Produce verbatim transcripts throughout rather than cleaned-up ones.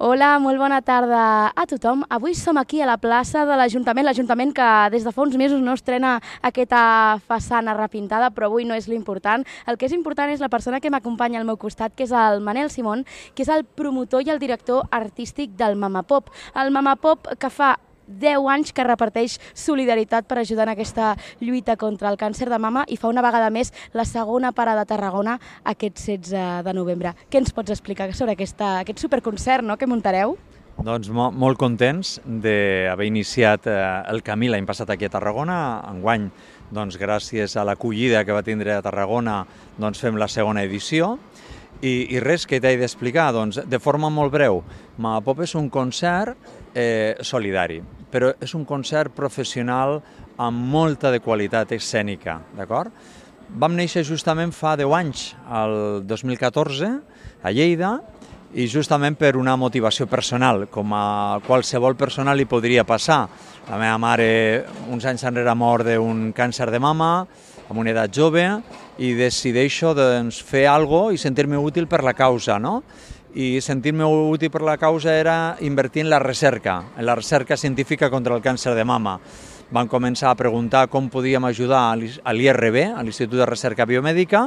Hola, molt bona tarda a tothom. Avui som aquí a la plaça de l'Ajuntament, l'Ajuntament que des de fa uns mesos no estrena aquesta façana repintada, però avui no és l'important. El que és important és la persona que m'acompanya al meu costat, que és el Manel Simón, que és el promotor i el director artístic del Mamapop. El Mamapop que fa deu anys que reparteix solidaritat per ajudar en aquesta lluita contra el càncer de mama i fa una vegada més la segona parada a Tarragona aquest setze de novembre. Què ens pots explicar sobre aquesta, aquest superconcert, no?, que muntareu? Doncs mo molt contents d'haver iniciat eh, el camí l'any passat aquí a Tarragona. Enguany, doncs, gràcies a l'acollida que va tindre a Tarragona, doncs, fem la segona edició. I, i res que t'he d'explicar, doncs, de forma molt breu. Mamapop és un concert eh, solidari, però és un concert professional amb molta de qualitat escènica, d'acord? Vam néixer justament fa deu anys, el dos mil catorze, a Lleida, i justament per una motivació personal, com a qualsevol persona li podria passar. La meva mare uns anys enrere mort d'un càncer de mama, amb una edat jove, i decideixo doncs, fer alguna cosa i sentir-me útil per la causa, no? I sentir-me útil per la causa era invertir en la recerca, en la recerca científica contra el càncer de mama. Vam començar a preguntar com podíem ajudar a l'I R B, a l'Institut de Recerca Biomèdica,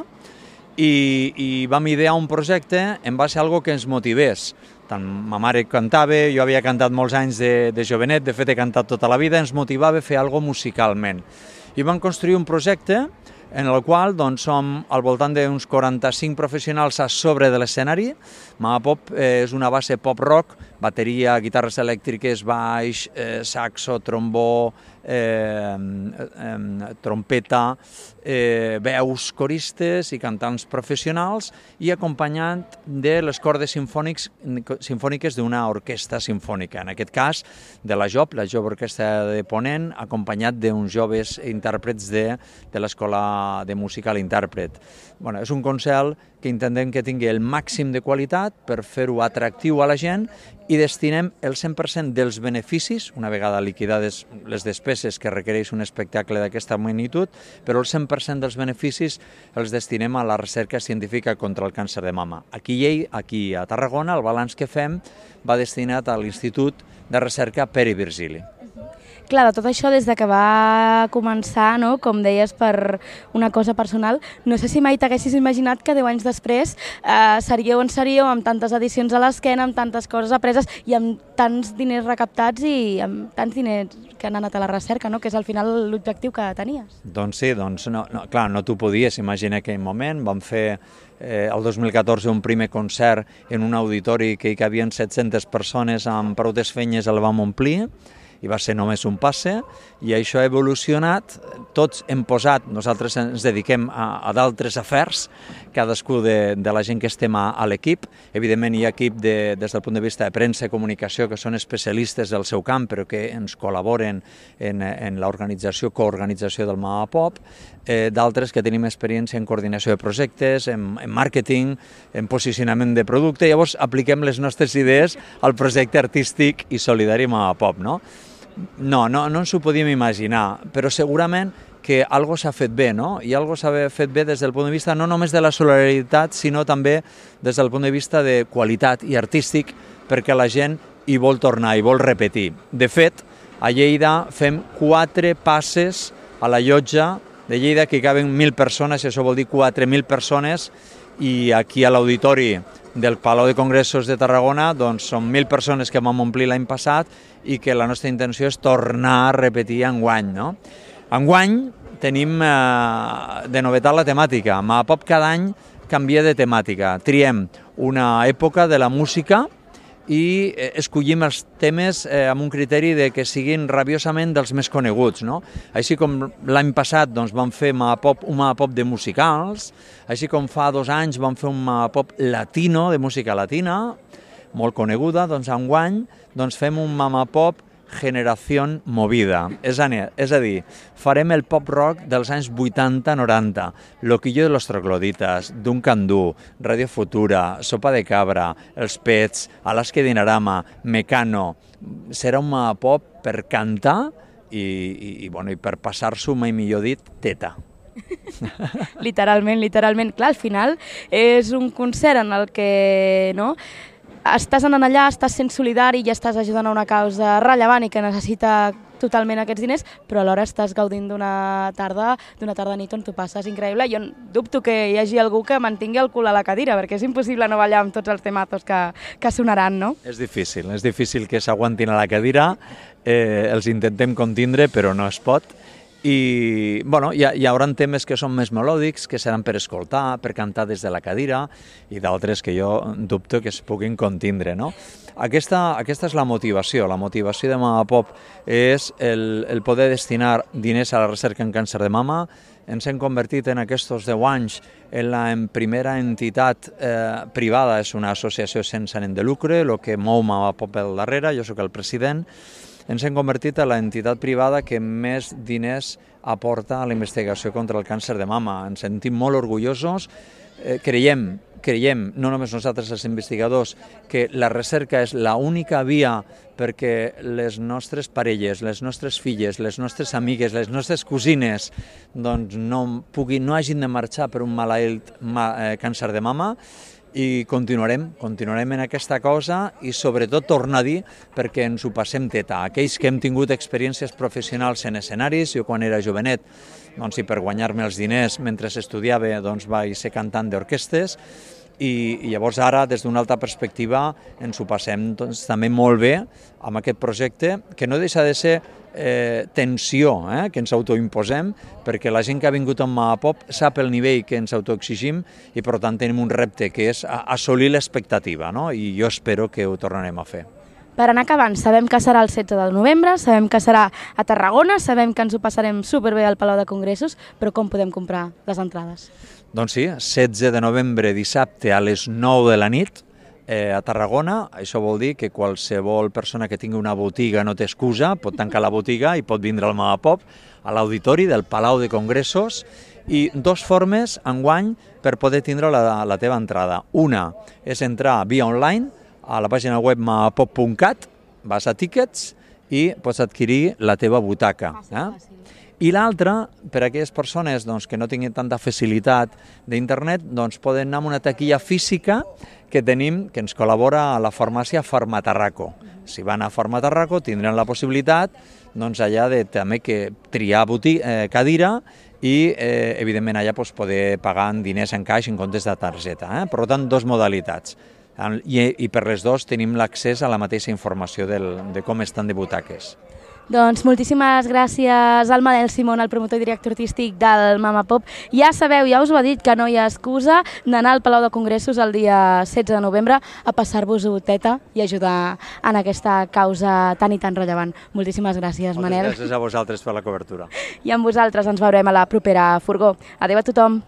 i, i vam idear un projecte en base a algo que ens motivés. Tant ma mare cantava, jo havia cantat molts anys de, de jovenet, de fet he cantat tota la vida, ens motivava a fer alguna cosa musicalment. I vam construir un projecte en el qual doncs, som al voltant d'uns quaranta-cinc professionals a sobre de l'escenari. Mamapop eh, és una base pop-rock, bateria, guitarres elèctriques, baix, eh, saxo, trombó, eh, eh, trompeta, eh, veus coristes i cantants professionals i acompanyant de les cordes simfònics, simfòniques d'una orquestra simfònica, en aquest cas de la J O P, la Jove Orquestra de Ponent, acompanyat d'uns joves intèrprets de, de l'Escola de Música a l'Intèrpret. Bueno, és un concert que intentem que tingui el màxim de qualitat per fer-ho atractiu a la gent i destinem el cent per cent dels beneficis, una vegada liquidades les despeses que requereix un espectacle d'aquesta magnitud, però el cent per cent dels beneficis els destinem a la recerca científica contra el càncer de mama. Aquí, aquí a Tarragona, el balanç que fem va destinat a l'Institut de Recerca Pere Virgili. Clar, de tot això, des de que va començar, no?, com deies, per una cosa personal, no sé si mai t'haguessis imaginat que deu anys després eh, seríeu on seríeu, amb tantes edicions a l'esquena, amb tantes coses apreses i amb tants diners recaptats i amb tants diners que han anat a la recerca, no?, que és al final l'objectiu que tenies. Doncs sí, doncs no, no, clar, no t'ho podies imaginar en aquell moment. Vam fer eh, el dos mil catorze un primer concert en un auditori que hi cabien set-centes persones, amb prou desfenyes el vam omplir, i va ser només un passe, i això ha evolucionat. Tots hem posat, nosaltres ens dediquem a, a d'altres afers, cadascú de, de la gent que estem a, a l'equip. Evidentment hi ha equip de, des del punt de vista de premsa i comunicació que són especialistes del seu camp, però que ens col·laboren en, en l'organització, coorganització del Mamapop, eh, d'altres que tenim experiència en coordinació de projectes, en, en màrqueting, en posicionament de producte. Llavors apliquem les nostres idees al projecte artístic i solidari Mamapop, no? No, no, no ens ho podíem imaginar, però segurament que algo s'ha fet bé, no? I algo s'ha fet bé des del punt de vista no només de la solidaritat, sinó també des del punt de vista de qualitat i artístic, perquè la gent hi vol tornar, hi vol repetir. De fet, a Lleida fem quatre passes a la llotja de Lleida que hi caben mil persones, i això vol dir quatre mil persones, i aquí a l'auditori del Palau de Congressos de Tarragona doncs són mil persones que vam omplir l'any passat i que la nostra intenció és tornar a repetir enguany, no? Enguany tenim eh, de novetat la temàtica. Mamapop cada any canvia de temàtica. Triem una època de la música i escollim els temes eh, amb un criteri de que siguin rabiosament dels més coneguts, no? Així com l'any passat doncs, vam fer Mamapop, un Mamapop de musicals, així com fa dos anys vam fer un Mamapop latino, de música latina, molt coneguda, doncs enguany doncs, fem un Mamapop Generació Movida. És a, és a dir, farem el pop-rock dels anys vuitanta noranta, Loquillo de los Trogloditas, Duncan Du, Radio Futura, Sopa de Cabra, Els Pets, Alaska Dinarama, Mecano. Serà un Mamapop per cantar i, i, i, bueno, i per passar-s'ho, mai millor dit, teta. Literalment, literalment. Clar, al final és un concert en el que, no?, estàs anant allà, estàs sent solidari i estàs ajudant a una causa rellevant i que necessita totalment aquests diners, però alhora estàs gaudint d'una tarda, d'una tarda nit on tu passes increïble. Jo dubto que hi hagi algú que mantingui el cul a la cadira, perquè és impossible no ballar amb tots els temazos que, que sonaran, no? És difícil, és difícil que s'aguantin a la cadira, eh, els intentem contindre, però no es pot. I bueno, hi, ha, hi haurà temes que són més melòdics, que seran per escoltar, per cantar des de la cadira, i d'altres que jo dubto que es puguin contindre, no? Aquesta, aquesta és la motivació. La motivació de Mama Pop és el, el poder destinar diners a la recerca en càncer de mama. Ens hem convertit en aquests deu anys en la en primera entitat eh, privada, és una associació sense ànim de lucre, el que mou Mama Pop al darrere, jo sóc el president. Ens hem convertit en l'entitat privada que més diners aporta a la investigació contra el càncer de mama. Ens sentim molt orgullosos, eh, creiem, creiem, no només nosaltres els investigadors, que la recerca és l'única via perquè les nostres parelles, les nostres filles, les nostres amigues, les nostres cosines doncs no, puguin, no hagin de marxar per un malalt ma, eh, càncer de mama. I continuarem, continuarem en aquesta cosa i sobretot tornar a dir perquè ens ho passem teta. Aquells que hem tingut experiències professionals en escenaris, jo quan era jovenet, doncs, i per guanyar-me els diners mentre estudiava doncs, vaig ser cantant d'orquestes, i, i llavors ara, des d'una altra perspectiva, ens ho passem doncs, també molt bé amb aquest projecte, que no deixa de ser eh, tensió eh, que ens autoimposem, perquè la gent que ha vingut amb Mama Pop sap el nivell que ens autoexigim i per tant tenim un repte que és assolir l'expectativa, no? I jo espero que ho tornarem a fer. Per anar acabant, sabem que serà el setze de novembre, sabem que serà a Tarragona, sabem que ens ho passarem superbé al Palau de Congressos, però com podem comprar les entrades? Doncs sí, setze de novembre, dissabte a les nou de la nit, eh, a Tarragona. Això vol dir que qualsevol persona que tingui una botiga no té excusa, pot tancar la botiga i pot vindre al Mama Pop, a l'auditori del Palau de Congressos, i dos formes enguany per poder tindre la, la teva entrada. Una és entrar via online, a la pàgina web mamapop punt cat, vas a Tickets i pots adquirir la teva butaca. Eh? I l'altra, per a aquelles persones doncs, que no tinguin tanta facilitat d'internet, doncs, poden anar a una taquilla física que tenim, que ens col·labora a la farmàcia Farmatarraco. Si van a Farmatarraco tindran la possibilitat doncs, allà de també que triar botiga, eh, cadira i, eh, evidentment, allà doncs, poder pagar en diners en caix en comptes de targeta. Eh? Per tant, dos modalitats. I, i per les dues tenim l'accés a la mateixa informació del, de com estan de butaques. Doncs moltíssimes gràcies al Manel Simón, el promotor i director artístic del Mama Pop. Ja sabeu, ja us ho ha dit, que no hi ha excusa d'anar al Palau de Congressos el dia setze de novembre a passar-vos-ho teta i ajudar en aquesta causa tan i tan rellevant. Moltíssimes gràcies, Moltes Manel. Gràcies a vosaltres per la cobertura. I amb vosaltres ens veurem a la propera furgó. Adéu a tothom.